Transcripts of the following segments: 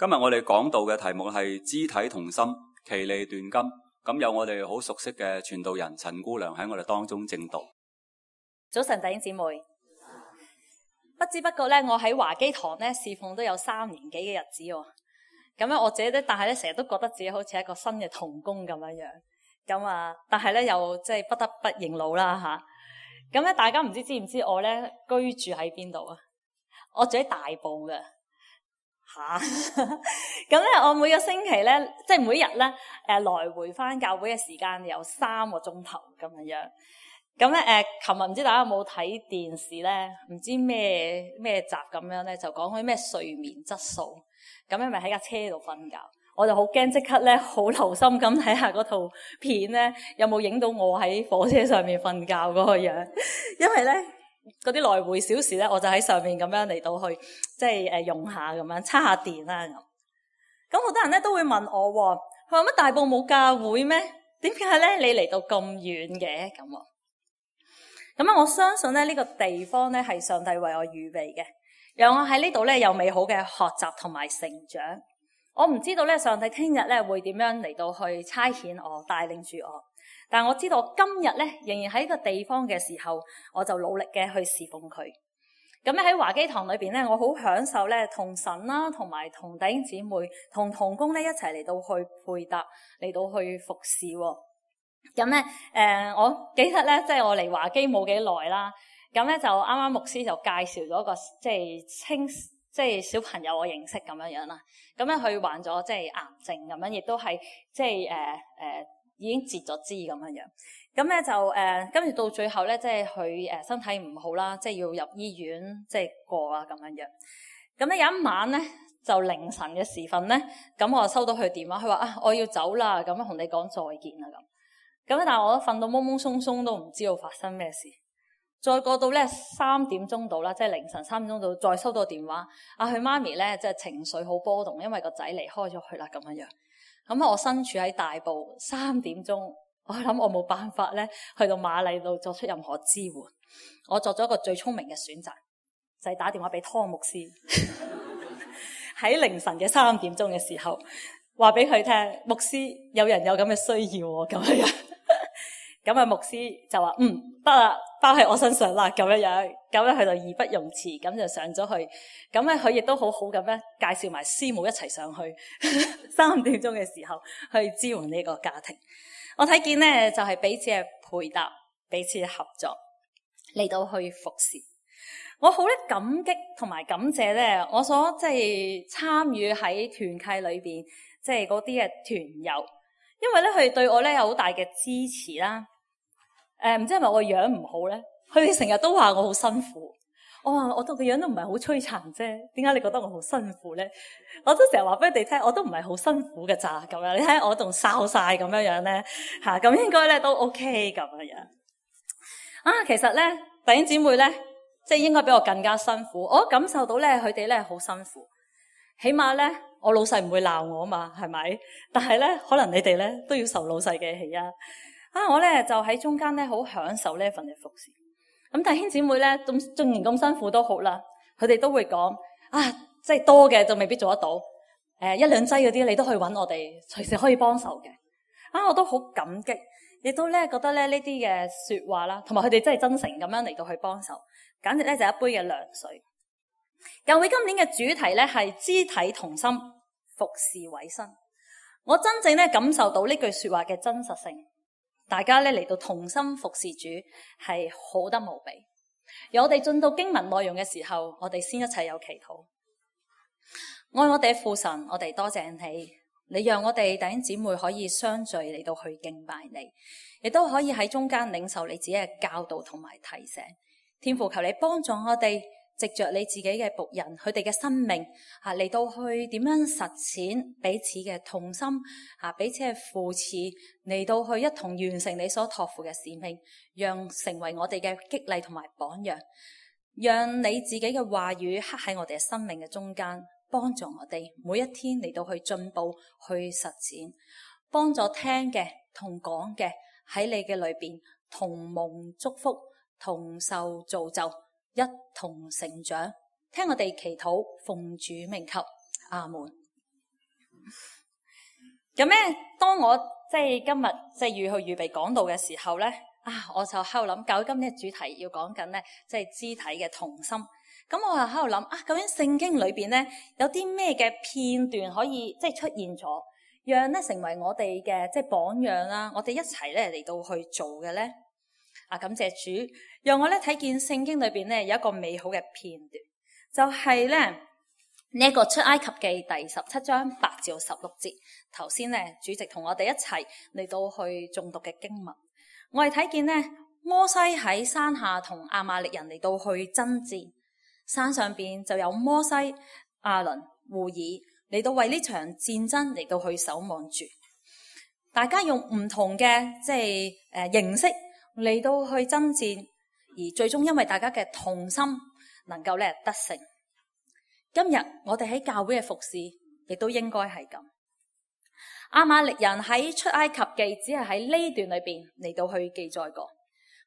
今日我哋講道嘅題目係肢體同心，其利斷金。咁有我哋好熟悉嘅傳道人陳姑娘喺我哋當中證道。早晨弟兄姊妹，不知不覺咧，我喺華基堂咧侍奉都有3年幾嘅日子喎。咁咧我自己咧，但係咧成日都覺得自己好似一個新嘅同工咁樣樣。咁啊，但係咧又即係不得不認老啦吓。咁咧大家唔知唔知我咧居住喺邊度啊？我住喺大埔嘅。咁咧我每個星期咧，即係每日咧，來回翻教會嘅時間有3個鐘頭咁樣樣。咁咧琴日唔知大家有冇睇電視咧？唔知咩集咁樣咧，就講開咩睡眠質素。咁咧咪喺架車度瞓覺，我就好驚，即刻咧好留心咁睇下嗰套片咧，有冇影到我喺火車上面瞓覺嗰個樣，因為咧。嗰啲來回小時咧，我就喺上面咁樣嚟到去，即係用下咁樣，叉下電啦咁。咁好多人咧都會問我，佢話乜大埔冇教會咩？點解咧你嚟到咁遠嘅咁？咁啊，我相信咧呢個地方咧係上帝為我預備嘅，讓我喺呢度咧有美好嘅學習同埋成長。我唔知道咧上帝聽日咧會點樣嚟到去差遣我，帶領住我。但我知道我今日咧仍然喺個地方嘅時候，我就努力嘅去侍奉佢。咁咧喺華基堂裏邊咧，我好享受咧同神啦，同埋同弟兄姊妹、同同工咧一齊嚟到去配搭，嚟到去服侍。咁咧我記得咧，即係我嚟華基冇幾耐啦。咁咧就啱啱牧師就介紹咗個即係小朋友我認識咁樣樣啦。咁咧佢患咗即係癌症咁樣，亦都係即係已經截咗肢咁樣樣，咁咧就跟住到最後咧，即係佢身體唔好啦，即係要入醫院即係過啊咁樣樣。咁咧有一晚咧就凌晨嘅時分咧，咁我就收到佢電話，佢話我要走啦，咁同你講再見啦咁。咁但係我都瞓到懵懵鬆鬆都唔知道發生咩事。再過到咧3點鐘到啦，即係凌晨3點鐘到，再收到電話，佢媽咪咧即係情緒好波動，因為個仔離開咗佢啦咁樣樣。咁我身處喺大埔，3點鐘，我諗我冇辦法咧，去到瑪麗度作出任何支援。我作咗一個最聰明嘅選擇，就係打電話俾湯牧師，喺凌晨嘅3點鐘嘅時候，話俾佢聽，牧師有人有咁嘅需要喎，咁樣。咁牧師就話得啦，包喺我身上啦，咁樣。咁咧佢就義不容辭，咁就上咗去。咁咧佢亦都好好咁咧介紹埋師母一齊上去。3點鐘嘅時候去支援呢個家庭。我睇見咧就係彼此嘅配搭，彼此嘅合作嚟到去服侍。我好咧感激同埋感謝咧，我所即係參與喺團契裏邊，即係嗰啲嘅團友，因為咧佢哋對我咧有好大嘅支持啦。唔知係咪我樣唔好咧？佢哋成日都話我好辛苦。我話我個樣都唔係好摧殘啫，點解你覺得我好辛苦咧？我都成日話俾你哋聽，我都唔係好辛苦嘅咋咁樣。你睇我仲哨晒咁樣咧嚇，咁應該咧都 OK 咁樣。其實咧弟兄姊妹咧，即係應該比我更加辛苦。我感受到咧佢哋咧好辛苦，起碼咧我老細唔會鬧我啊嘛，係咪？但係咧可能你哋咧都要受老細嘅氣啊！我咧就喺中間咧好享受呢一份嘅服侍。咁弟兄姊妹咧，縱然咁辛苦都好啦，佢哋都會講即係多嘅就未必做得到。1-2劑嗰啲你都可以揾我哋，隨時可以幫手嘅。我都好感激，亦都咧覺得咧呢啲嘅說話啦，同埋佢哋真係真誠咁樣嚟到去幫手，簡直咧就係一杯嘅涼水。教會今年嘅主題咧係肢體同心，服侍委身。我真正咧感受到呢句說話嘅真實性。大家咧嚟到同心服侍主係好得無比。而我哋進到經文內容嘅時候，我哋先一齊有祈禱。愛我哋嘅父神，我哋多謝你，你讓我哋弟兄姊妹可以相聚嚟到去敬拜你，亦都可以喺中間領受你自己嘅教導同埋提醒。天父，求你幫助我哋，藉着你自己嘅僕人，佢哋嘅生命嚟到去點樣實踐彼此嘅同心彼此嘅扶持，嚟到去一同完成你所託付嘅使命，讓成為我哋嘅激勵同埋榜樣，讓你自己嘅話語刻喺我哋嘅生命嘅中間，幫助我哋每一天嚟到去進步去實踐，幫助聽嘅同講嘅喺你嘅裏邊同蒙祝福，同受造就，一同成長。聽我哋祈禱，奉主名求，阿門。咁咧，當我今日要去預備講道嘅時候咧，我就喺度諗，究竟今日主題要講緊咧，肢體嘅同心。咁我就喺度諗，究竟聖經裏邊咧有啲咩嘅片段可以出現咗，讓咧成為我哋嘅榜樣啦，我哋一齊咧嚟到去做嘅咧。感謝主，讓我咧睇見聖經裏邊咧有一個美好嘅片段，就係咧呢一個出埃及記第17章8至16節。頭先咧主席同我哋一齊嚟到去誦讀嘅經文，我哋睇見咧摩西喺山下同亞瑪力人嚟到去爭戰，山上邊就有摩西、亞倫、戶珥嚟到為呢場戰爭嚟到去守望住，大家用唔同嘅形式嚟到去爭戰，而最終因為大家嘅同心能夠咧得勝。今日我哋喺教會嘅服侍亦都應該係咁。亞瑪力人喺出埃及記只係喺呢段裏邊嚟到去記載過，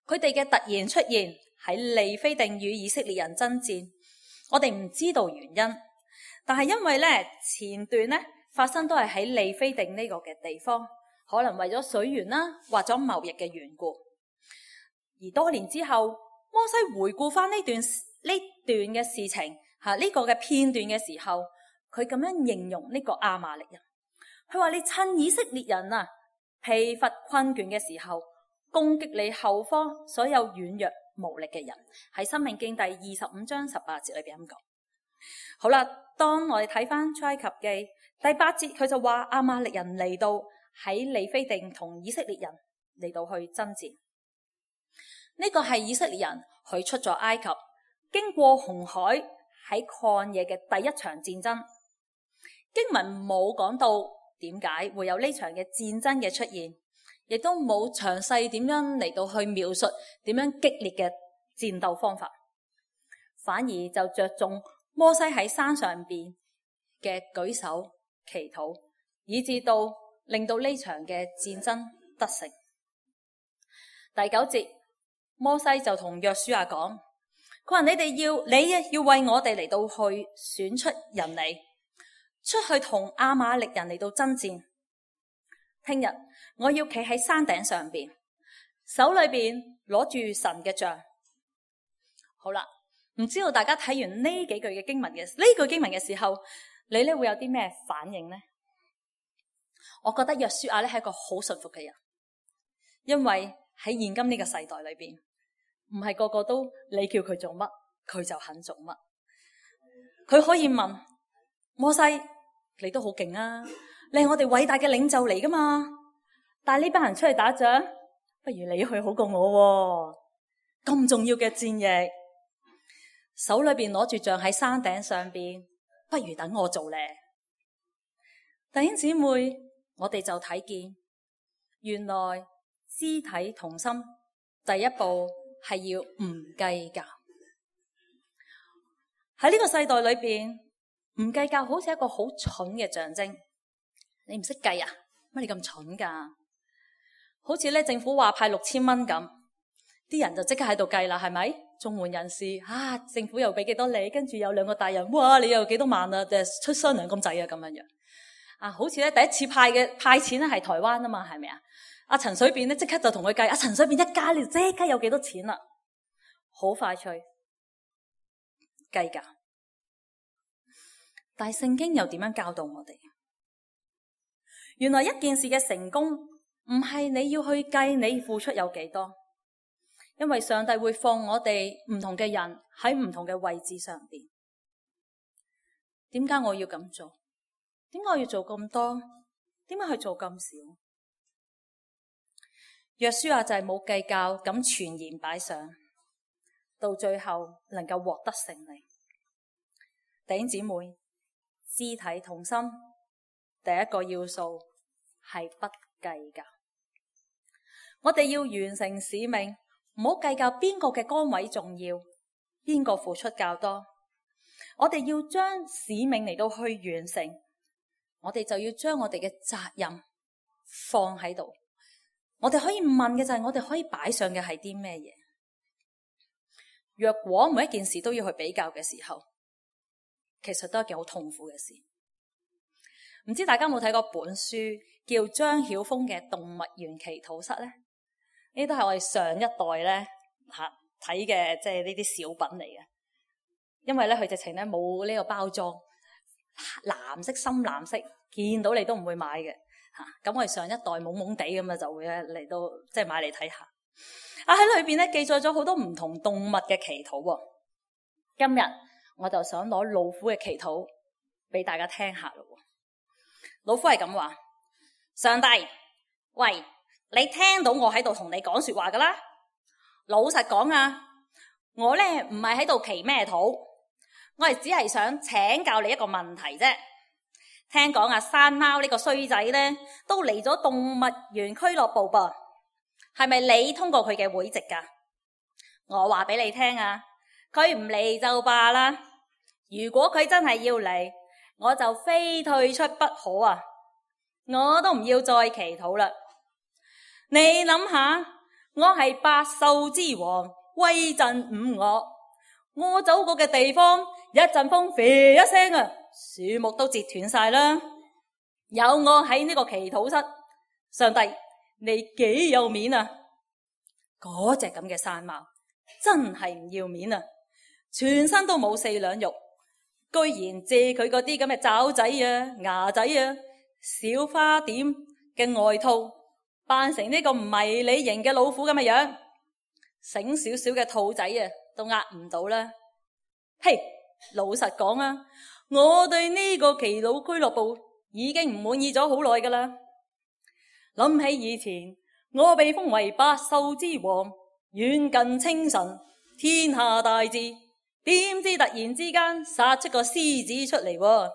佢哋嘅突然出現喺利非定與以色列人爭戰，我哋唔知道原因，但係因為咧前段咧發生都係喺利非定呢個嘅地方，可能為咗水源啦，或者貿易嘅緣故。而多年之後，摩西回顧翻呢段嘅事情呢個嘅片段嘅時候，佢咁樣形容呢個亞瑪力人，佢話：你趁以色列人疲乏困倦嘅時候，攻擊你後方所有軟弱無力嘅人。喺申命記第25章18節裏邊咁講。好啦，當我哋睇翻出埃及記第8節，佢就話亞瑪力人嚟到喺利非定同以色列人嚟到去爭戰。呢個係以色列人佢出咗埃及，經過紅海喺曠野嘅第一場戰爭。經文冇講到點解會有呢場嘅戰爭嘅出現，亦都冇詳細點樣嚟到去描述點樣激烈嘅戰鬥方法，反而就着重摩西喺山上邊嘅舉手祈禱，以至到令到呢場嘅戰爭得勝。第9節，摩西就同約書亞講，佢話：你要為我哋嚟到去選出人嚟，出去同亞瑪力人嚟到爭戰。聽日我要企喺山頂上邊，手裏邊攞住神嘅杖。好啦，唔知道大家睇完呢幾句嘅經文嘅呢句經文嘅時候，你咧會有啲咩反應呢？我覺得約書亞咧係一個好順服嘅人，因為喺現今呢個世代裏邊，唔係個個都你叫佢做乜佢就肯做乜。佢可以問摩西：你都好勁啊，你係我哋偉大嘅領袖嚟噶嘛？帶呢班人出去打仗，不如你去好過我喎。咁重要嘅戰役，手裏邊攞住杖喺山頂上邊，不如等我做咧。弟兄姊妹，我哋就睇見，原來肢體同心第一步係要唔計較。喺呢個世代裏邊，唔計較好似一個好蠢嘅象徵。你唔識計啊？乜你咁蠢噶？好似咧政府話派6000蚊咁，啲人就即刻喺度計啦，係咪？綜援人士政府又俾幾多你，跟住有2個大人，哇，你又幾多萬啊？出雙糧咁滯啊，咁樣樣。好似咧第一次派錢咧係台灣啊嘛，係咪啊？阿陳水扁咧即刻就同佢計，陳水扁一加你即刻有幾多錢啦，好快脆計較。但係聖經又點樣教導我哋？原來一件事嘅成功唔係你要去計你付出有幾多，因為上帝會放我哋唔同嘅人喺唔同嘅位置上邊。點解我要咁做？點解我要做咁多？點解去做咁少？約書亞就係冇計較咁全然擺上，到最後能夠獲得勝利。弟兄姊妹，肢體同心第一個要素係不計較。我哋要完成使命，唔好計較邊個嘅崗位重要，邊個付出較多。我哋要將使命嚟到去完成，我哋就要將我哋嘅責任放喺度。我哋可以問嘅就係，我哋可以擺上嘅係啲咩嘢？若果每一件事都要去比較嘅時候，其實都係一件好痛苦嘅事。唔知大家有冇睇過本書叫張曉峰嘅《動物園祈禱室》咧？呢都係我哋上一代咧睇嘅，即係呢啲小品嚟嘅。因為咧佢直情咧冇呢個包裝，藍色深藍色，見到你都唔會買嘅嚇。咁我哋上一代懵懵地咁啊，就會咧嚟到即係買嚟睇下。喺裏邊咧記載咗好多唔同動物嘅祈禱喎。今日我就想攞老虎嘅祈禱俾大家聽下咯。老虎係咁話：上帝，喂，你聽到我喺度同你講說話噶啦？老實講啊，我咧唔係喺度祈咩禱，我係只係想請教你一個問題啫。聽講山貓呢個衰仔咧都嚟咗動物園俱樂部噃，係咪你通過佢嘅會籍噶？我話俾你聽啊，佢唔嚟就罷啦。如果佢真係要嚟，我就非退出不可啊！我都唔要再祈禱啦。你諗下，我係百獸之王，威震五岳。我走過嘅地方，一陣風啡一聲啊，樹木都折斷晒啦。有我喺呢個祈禱室，上帝你幾有面啊！嗰隻咁嘅山貓真係唔要面啊！全身都冇4兩肉，居然借佢嗰啲咁嘅爪仔啊、牙仔啊、小花點嘅外套，扮成呢個迷你型嘅老虎咁嘅樣，醒少少嘅兔仔啊都呃唔到啦。嘿，老實講啊，我對呢個祈禱俱樂部已經唔滿意咗好耐噶啦。諗起以前我被封為百獸之王，遠近稱臣，天下大治，點知突然之間殺出個獅子出嚟喎，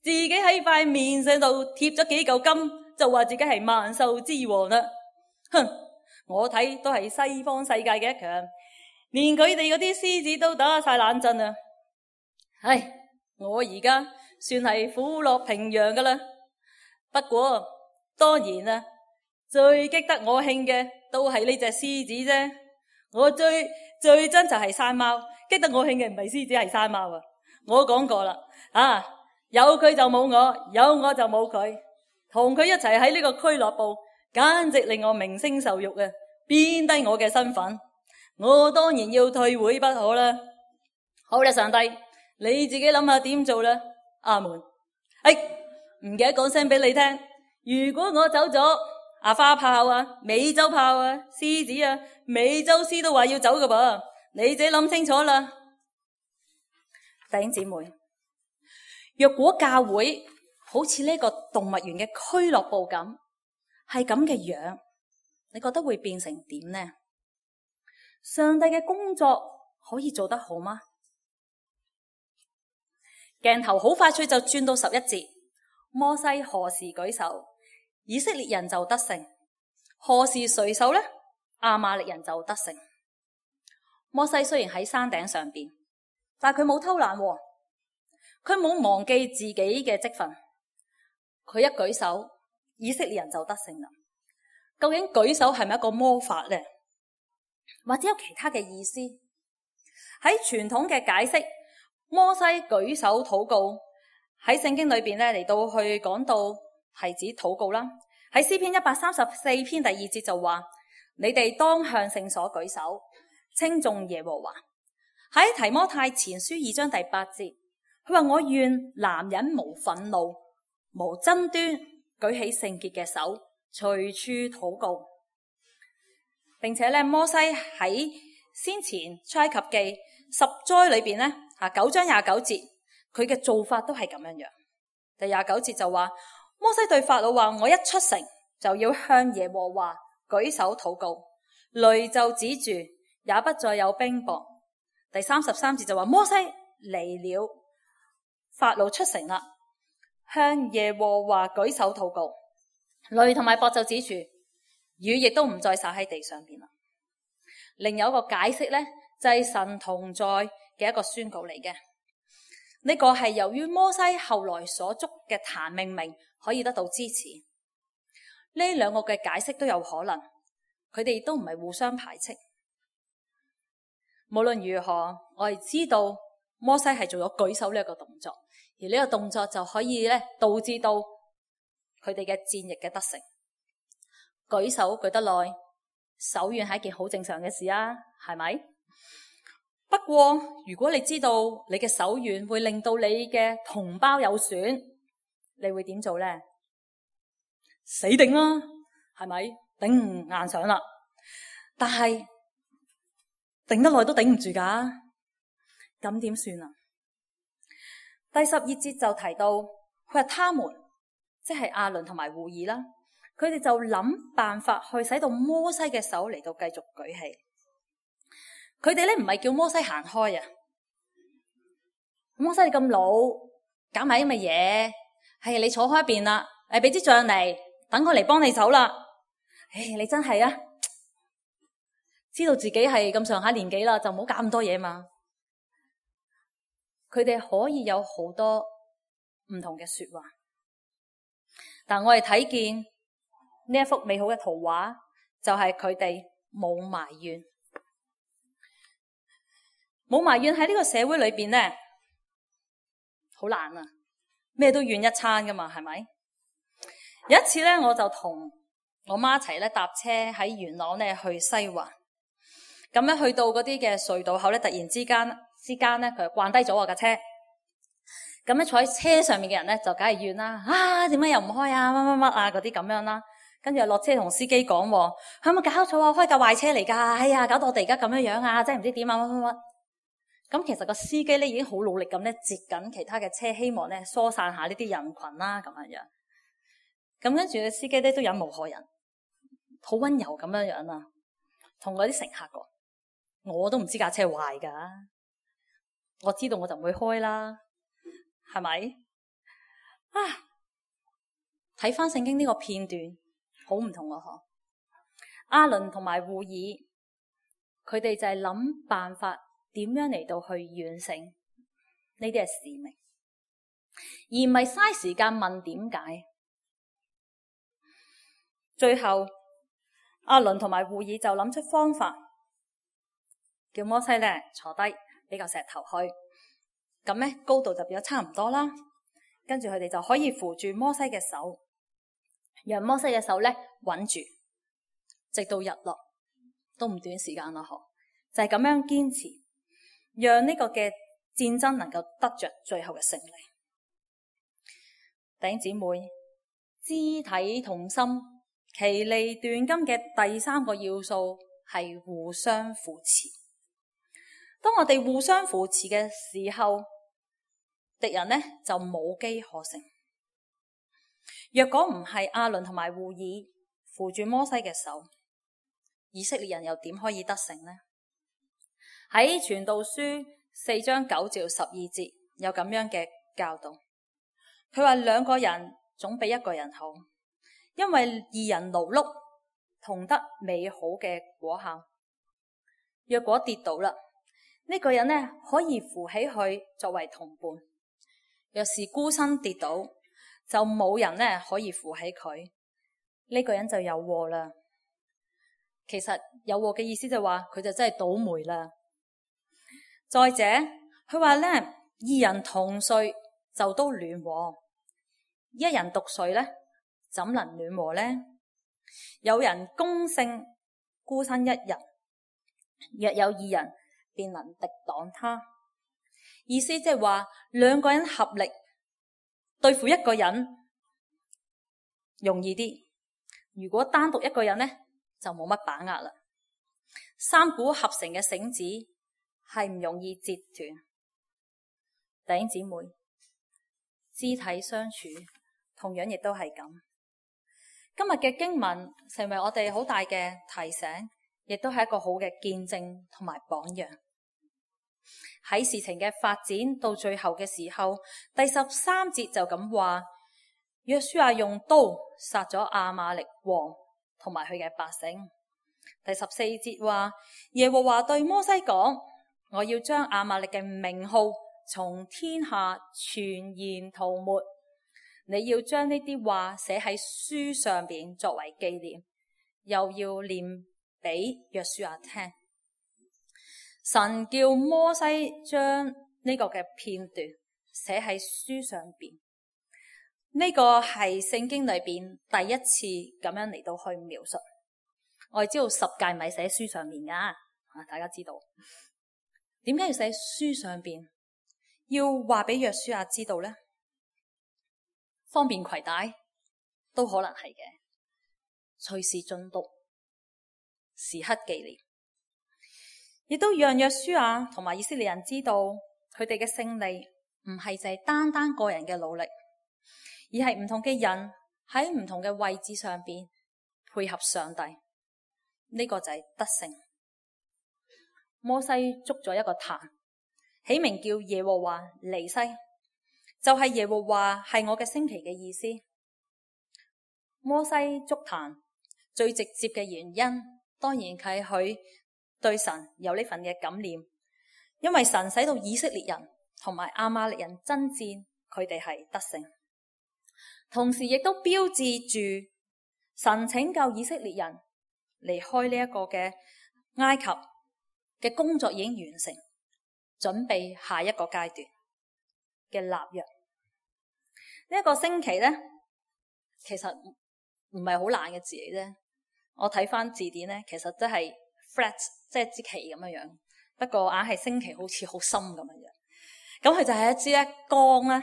自己喺塊面上度貼咗幾嚿金，就話自己係萬獸之王啦。哼，我睇都係西方世界嘅一強，連佢哋嗰啲獅子都打晒冷震啊！唉，我而家算係虎落平陽噶啦。不過當然啦，最激得我興嘅都係呢隻獅子啫。我最憎就係山貓，激得我興嘅唔係獅子係山貓啊！我講過啦，有佢就冇我，有我就冇佢，同佢一齊喺呢個俱樂部，簡直令我名聲受辱啊！貶低我嘅身份，我當然要退會不可啦。好啦，上帝，你自己諗下點做啦。阿門。唔記得講聲俾你聽，如果我走咗，花豹啊、美洲豹啊、獅子啊、美洲獅都話要走噶噃，你自己諗清楚啦。弟兄姊妹，若果教會好似呢個動物園嘅俱樂部咁，係咁嘅樣，你覺得會變成點呢？上帝嘅工作可以做得好嗎？鏡頭好快脆就轉到11節，摩西何時舉手，以色列人就得勝；何時垂手呢，亞瑪力人就得勝。摩西雖然喺山頂上邊，但佢冇偷懶喎，佢冇忘記自己嘅職分。佢一舉手，以色列人就得勝啦。究竟舉手係咪一個魔法呢？或者有其他嘅意思？喺傳統嘅解釋，摩西舉手禱告喺聖經裏邊咧嚟到去講到係指禱告啦。喺詩篇134篇第2節就話：你哋當向聖所舉手，稱頌耶和華。喺提摩太前書2章第8節，佢話：我願男人無憤怒、無爭端，舉起聖潔嘅手，隨處禱告。並且咧，摩西喺先前出埃及記10災裏邊咧，9章29節，佢嘅做法都係咁樣樣。第29節就話：摩西對法老話：我一出城就要向耶和華舉手禱告，雷就止住，也不再有冰雹。第33節就話：摩西離了，法老出城啦，向耶和華舉手禱告，雷同埋雹就止住，雨亦都唔再灑喺地上邊啦。另有一個解釋咧，就係神同在嘅一個宣告嚟嘅。呢個係由於摩西後來所捉嘅壇命名可以得到支持。呢兩個嘅解釋都有可能，佢哋都唔係互相排斥。無論如何，我哋知道摩西係做咗舉手呢一個動作，而呢個動作就可以咧導致到佢哋嘅戰役嘅得勝。舉手舉得耐，手軟係一件好正常嘅事啊，係咪？不過如果你知道你嘅手軟會令到你嘅同胞有損，你會點做呢？死頂啦，係咪？頂硬上啦，但係頂得耐都頂唔住㗎，咁點算啊？第12節就提到，佢話他們即係亞倫同埋戶珥啦，佢哋就諗辦法去使到摩西嘅手嚟到繼續舉起。佢哋咧唔係叫摩西行開啊，摩西你咁老，搞埋啲乜嘢？係你坐開一邊啦，俾支杖嚟，等我嚟幫你手啦。你真係啊，知道自己係咁上下年紀啦，就唔好搞咁多嘢嘛。佢哋可以有好多唔同嘅說話，但我哋睇見呢一幅美好嘅圖畫，就係佢哋冇埋怨。冇埋怨喺呢個社會裏邊咧，好難啊！咩都怨一餐噶嘛，係咪？有一次咧，我就同我媽一齊咧搭車喺元朗咧去西環，咁咧去到嗰啲嘅隧道口咧，突然之間咧，佢就慣低咗我架車。咁咧坐喺車上面嘅人咧，就梗係怨啦，點解又唔開啊？乜乜乜啊嗰啲咁樣啦。跟住又落車同司機講，係咪搞錯啊？開架壞車嚟噶，哎呀，搞到我哋而家咁樣樣啊，真係唔知點啊乜乜乜。咁其實個司機咧已經好努力咁咧截緊其他嘅車，希望咧疏散下呢啲人群啦，咁樣樣。咁跟住個司機咧都忍無可忍，好溫柔咁樣樣啊，同嗰啲乘客講：我都唔知架車壞噶，我知道我就唔會開啦，係咪？睇翻聖經呢個片段，好唔同啊！亞倫同埋戶珥，佢哋就係諗辦法。點樣嚟到去完成呢啲係使命，而唔係嘥時間問點解。最後亞倫同埋戶珥就諗出方法，叫摩西咧坐低俾個石頭去，咁咧高度就變咗差唔多啦。跟住佢哋就可以扶住摩西嘅手，讓摩西嘅手咧穩住，直到日落都唔短時間啦。就係咁樣堅持。讓呢個嘅戰爭能夠得着最後嘅勝利。弟兄姊妹，肢體同心，其利斷金嘅第3個要素係互相扶持。當我哋互相扶持嘅時候，敵人呢就冇機可乘。若果唔係亞倫同埋戶珥扶住摩西嘅手，以色列人又點可以得勝呢？喺傳道書4章9至12節有咁樣嘅教導，佢話2個人總比1個人好，因為2人勞碌同得美好嘅果效。若果跌倒啦，呢個人呢可以扶起佢作為同伴；若是孤身跌倒，就冇人呢可以扶起佢，呢個人就有禍啦。其實有禍嘅意思就係話佢就真係倒霉啦。再者，佢話咧，2人同睡就都暖和，1人獨睡咧，怎能暖和呢？有人攻勝孤身1人，若有2人，便能敵擋他。意思即係話2個人合力對付1個人容易啲，如果單獨1個人呢，就冇乜把握啦。3股合成嘅繩子係唔容易折斷。弟兄姊妹，肢體相處同樣亦都係咁。今日嘅經文成為我哋好大嘅提醒，亦都係一個好嘅見證同埋榜樣。喺事情嘅發展到最後嘅時候，第13節就咁話，約書亞用刀殺咗亞瑪力王同埋佢嘅百姓。第14節話，耶和華對摩西講，我要將亞瑪力嘅名號從天下全然塗抹，你要將呢啲話寫喺書上邊作為紀念，又要念俾約書亞聽。神叫摩西將呢個嘅片段寫喺書上邊，呢個係聖經裏邊第一次咁樣嚟到去描述。我哋知道十誡咪寫書上面噶，大家知道點解要寫書上邊？要話俾約書亞知道呢？方便攜帶都可能係嘅，隨時進讀，時刻紀念，亦都讓約書亞同埋以色列人知道佢哋嘅勝利唔係淨係單單個人嘅努力，而係唔同嘅人喺唔同嘅位置上邊配合上帝，呢個就係得勝。摩西築咗一個壇，起名叫耶和華尼西，就係耶和華係我嘅升旗嘅意思。摩西築壇最直接嘅原因，當然係佢對神有呢份嘅感念，因為神使到以色列人同埋亞瑪力人爭戰，佢哋係得勝，同時亦都標誌住神拯救以色列人離開呢一個嘅埃及嘅工作已經完成，準備下一個階段嘅立約。呢一個星期呢，其實唔係好難嘅字嚟啫。我睇翻字典呢，其實都係 flat， 即係支旗咁樣樣。不過硬係星期好似好深咁樣樣。咁佢就係一支咧竿啦，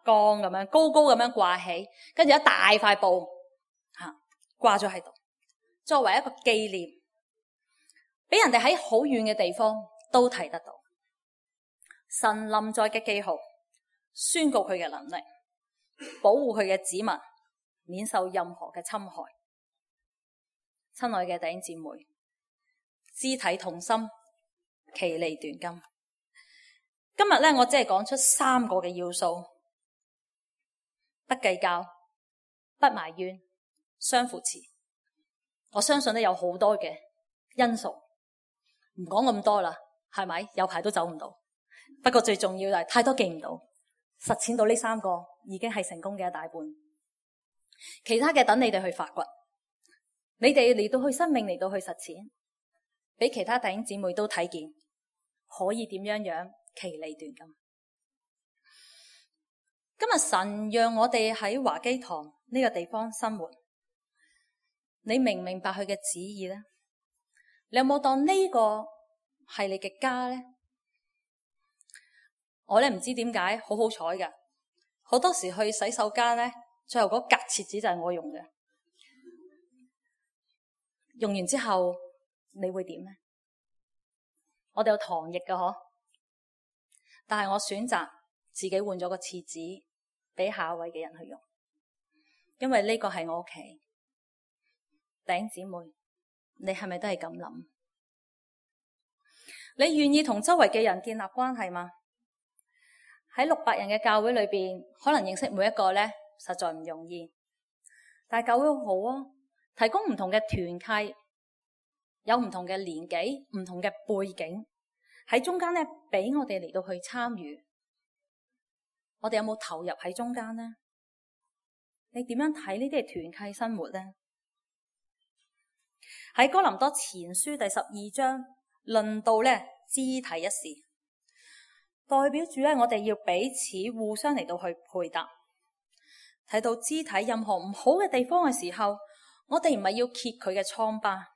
竿咁樣高高咁樣掛起，跟住一大塊布掛咗喺度，作為一個紀念，俾人哋喺好遠嘅地方都睇得到神臨在嘅記號，宣告佢嘅能力，保護佢嘅子民免受任何嘅侵害。親愛嘅弟兄姊妹，肢體同心，其利斷金。今日咧，我只係講出3個嘅要素：不計較、不埋怨、相扶持。我相信咧有好多嘅因素，唔講咁多啦，係咪？有排都走唔到。不過最重要就係太多記唔到，實踐到呢3個已經係成功嘅一大半。其他嘅等你哋去發掘，你哋嚟到去生命嚟到去實踐，俾其他弟兄姊妹都睇見可以點樣樣其利斷金。今日神讓我哋喺華基堂呢個地方生活，你明唔明白佢嘅旨意呢？你有冇當呢個係你嘅家呢？我咧唔知點解好好彩㗎，好多時去洗手間呢，最後嗰格廁紙就係我用嘅。用完之後你會點呢？我哋有糖液㗎嗬，但係我選擇自己換咗個廁紙俾下一位嘅人去用，因為呢個係我屋企。弟兄姊妹，你係咪都係咁諗？你願意同周圍嘅人建立關係嗎？喺600人嘅教會裏邊，可能認識每一個呢，實在唔容易。但係教會好啊，提供唔同嘅團契，有唔同嘅年紀、唔同嘅背景喺中間呢，俾我哋嚟到去參與。我哋有冇投入喺中間呢？你點樣睇呢啲係團契生活呢？喺哥林多前書第12章論到呢肢體一事，代表住呢，我哋要彼此互相嚟到去配搭。睇到肢體任何唔好嘅地方嘅時候，我哋唔係要揭佢嘅瘡疤，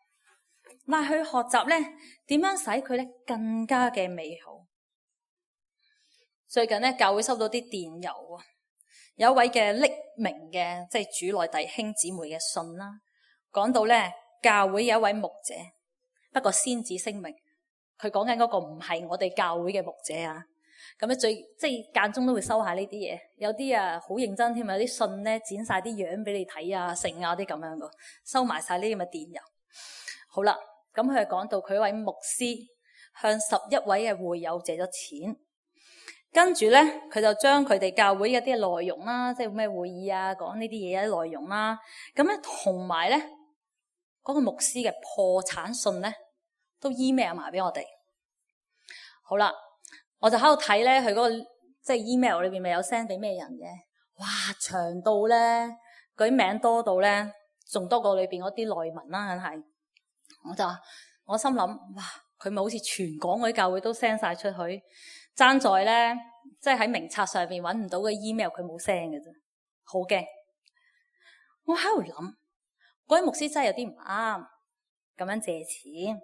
但係去學習呢點樣使佢呢更加嘅美好。最近呢，教會收到啲電郵啊，有一位嘅匿名嘅即係主內弟兄姊妹嘅信啦，講到呢教會有一位牧者，不過先至聲明，佢講緊嗰個唔係我哋教會嘅牧者啊。咁咧即係間中都會收下呢啲嘢，有啲啊好認真添，有啲信咧剪晒啲樣俾你睇啊，剩啊啲咁樣噶，收埋晒呢啲咁嘅電郵。好啦，咁佢係講到佢一位牧師向11位嘅會友借咗錢，跟住咧佢就將佢哋教會嘅啲內容啦，即係咩會議啊，講呢啲嘢嘅內容啦，咁咧同埋咧嗰個牧師嘅破產信咧都 email 埋俾我哋。好啦。我就喺度睇咧，佢嗰個即係 email 裏邊咪有 send 俾咩人嘅？哇，長到咧，嗰啲名多到咧，仲多過裏邊嗰啲內文啦，梗係。我心諗，哇，佢咪好似全港嗰啲教會都 send 晒出去，爭在咧，即係喺名冊上邊揾唔到嘅 email，佢冇 send 嘅啫，好驚。我喺度諗，嗰位牧師真係有啲唔啱，咁樣借錢，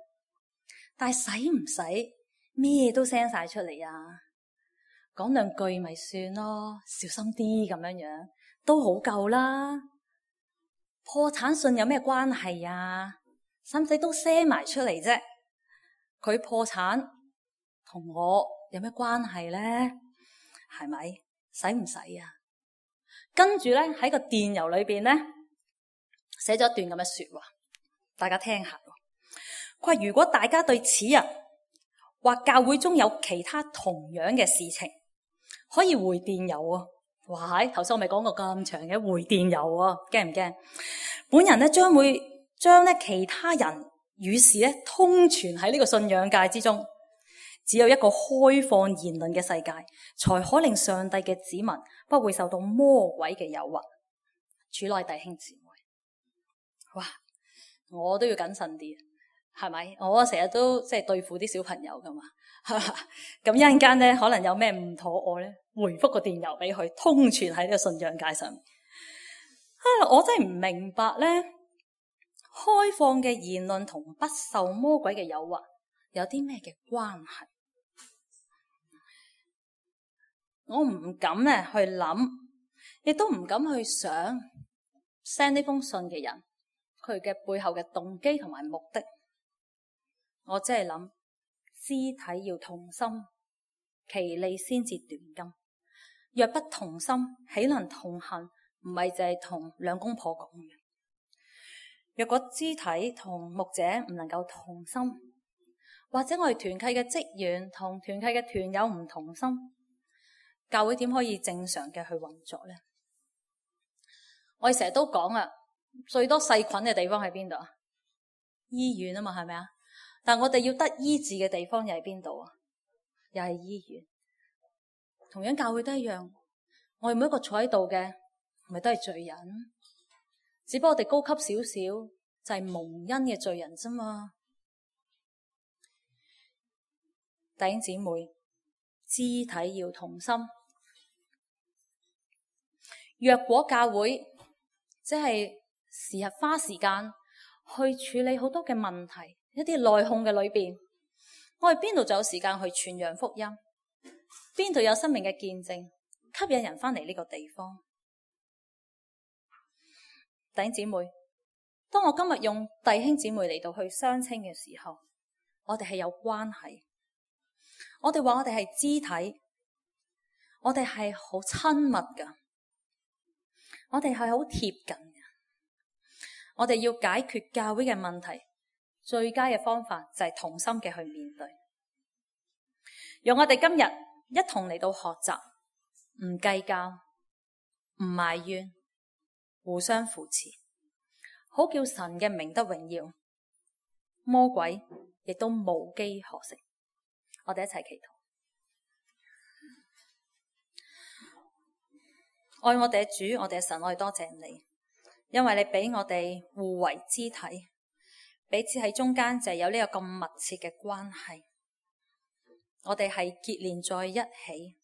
但係使唔使咩都 send 晒出嚟啊？講兩句咪算咯，小心啲咁樣都好夠啦。破產信有咩關係啊？使唔使都 send 埋出嚟啫？佢破產同我有咩關係咧？係咪？使唔使啊？跟住咧喺個電郵裏邊咧寫咗一段咁嘅說話，大家聽下。佢話如果大家對此人或教會中有其他同樣嘅事情，可以回電郵啊！哇，頭先我咪講過咁長嘅回電郵啊，驚唔驚？本人咧將會將咧其他人與事咧通傳喺呢個信仰界之中。只有一個開放言論嘅世界，才可令上帝嘅子民不會受到魔鬼嘅誘惑。主內弟兄姊妹，哇！我都要謹慎啲，係咪？我成日都即係對付啲小朋友噶嘛，咁一陣間咧可能有咩唔妥我咧，回覆個電郵俾佢，通傳喺呢個信仰界上面。我真係唔明白咧，開放嘅言論同不受魔鬼嘅誘惑有啲咩嘅關係？我唔敢咧去諗，亦都唔敢去想 send 呢封信嘅人佢嘅背後嘅動機同埋目的。我只係諗，肢體要同心，其利先至斷金。若不同心，豈能同行？唔係淨係同兩公婆講嘅。若果肢體同牧者唔能夠同心，或者我哋團契嘅職員同團契嘅團友唔同心，教會點可以正常嘅去運作呢？我哋成日都講啊，最多細菌嘅地方喺邊度啊？醫院啊嘛，係咪啊？但我哋要得醫治嘅地方又喺邊度啊？又係醫院。同樣教會都一樣，我哋每一個坐喺度嘅，咪都係罪人，只不過我哋高級少少，就係蒙恩嘅罪人啫嘛。弟兄姊妹，肢體要同心。若果教會即係時日花時間去處理好多嘅問題，一啲內訌嘅裏邊，我哋邊度就有時間去傳揚福音？邊度有生命嘅見證，吸引人翻嚟呢個地方？弟兄姊妹，當我今日用弟兄姊妹嚟到去相稱嘅時候，我哋係有關係。我哋話我哋係肢體，我哋係好親密噶，我哋係好貼近嘅。我哋要解決教會嘅問題，最佳嘅方法就係同心嘅去面對。讓我哋今日一同嚟到學習，唔計較，唔埋怨，互相扶持，好叫神嘅名得榮耀，魔鬼亦都無機可乘。我哋一齊祈禱。愛我哋嘅主，我哋嘅神，我哋多謝你，因為你俾我哋互為肢體，彼此喺中間就係有呢個咁密切嘅關係。我哋係結連在一起，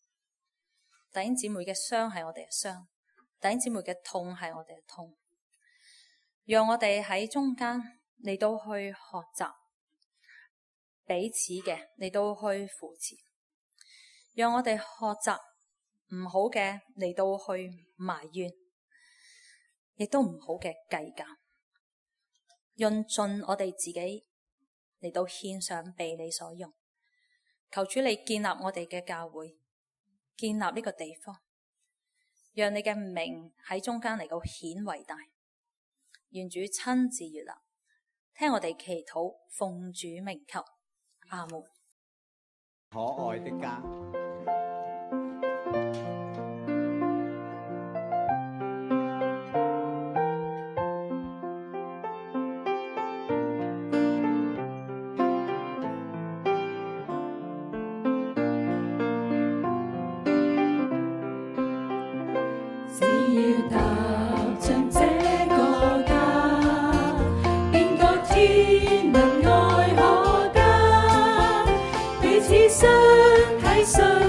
弟兄姊妹嘅傷係我哋嘅傷，弟兄姊妹嘅痛係我哋嘅痛。讓我哋喺中間嚟到去學習彼此嘅，嚟到去扶持，讓我哋學習唔好嘅嚟到去埋怨，亦都唔好嘅計較，用盡我哋自己嚟到獻上被你所用。求主你建立我哋嘅教會，建立呢個地方，讓你嘅名喺中間嚟到顯為大。願主親自悅納，聽我哋祈禱，奉主名求，阿門。可愛的家。相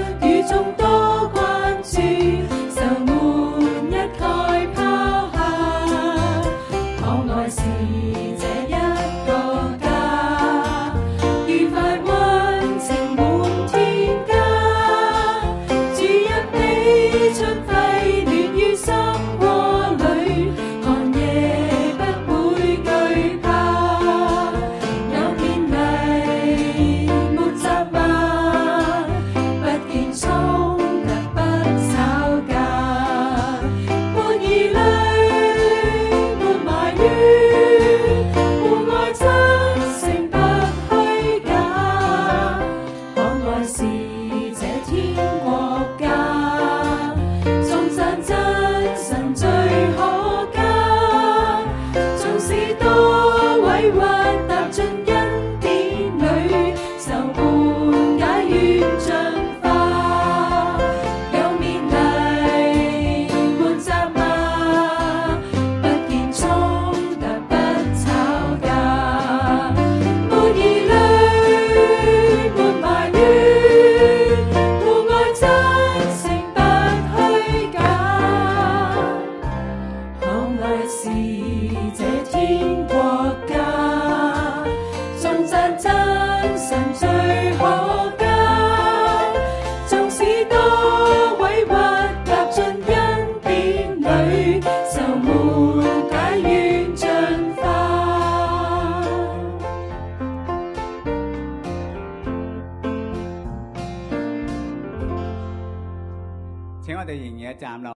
一站咯。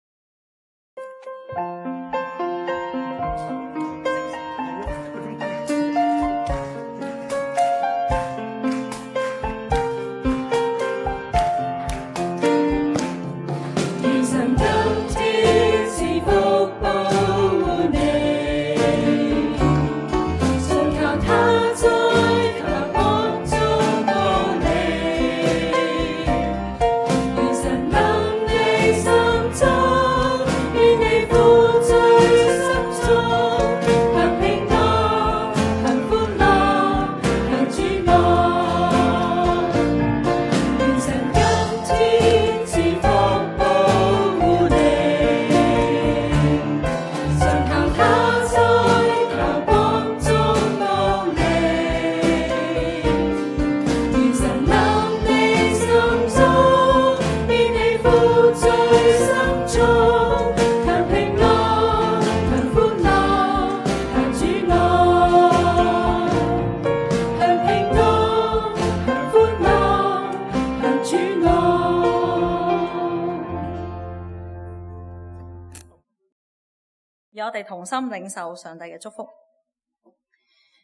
讓我哋同心領受上帝嘅祝福，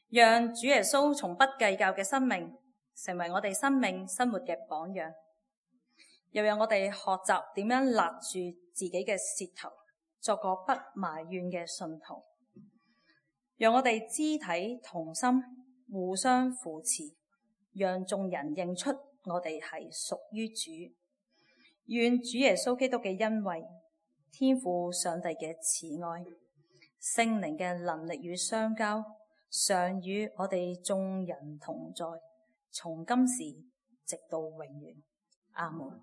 讓主耶穌從不計較嘅生命成為我哋生命生活嘅榜樣，又讓我哋學習點樣勒住自己嘅舌頭，作個不埋怨嘅信徒，讓我哋肢體同心，互相扶持，讓眾人認出我哋係屬於主。願主耶穌基督嘅恩惠、天父上帝嘅慈愛、聖靈嘅能力與相交，常與我哋眾人同在，從今時直到永遠。阿門。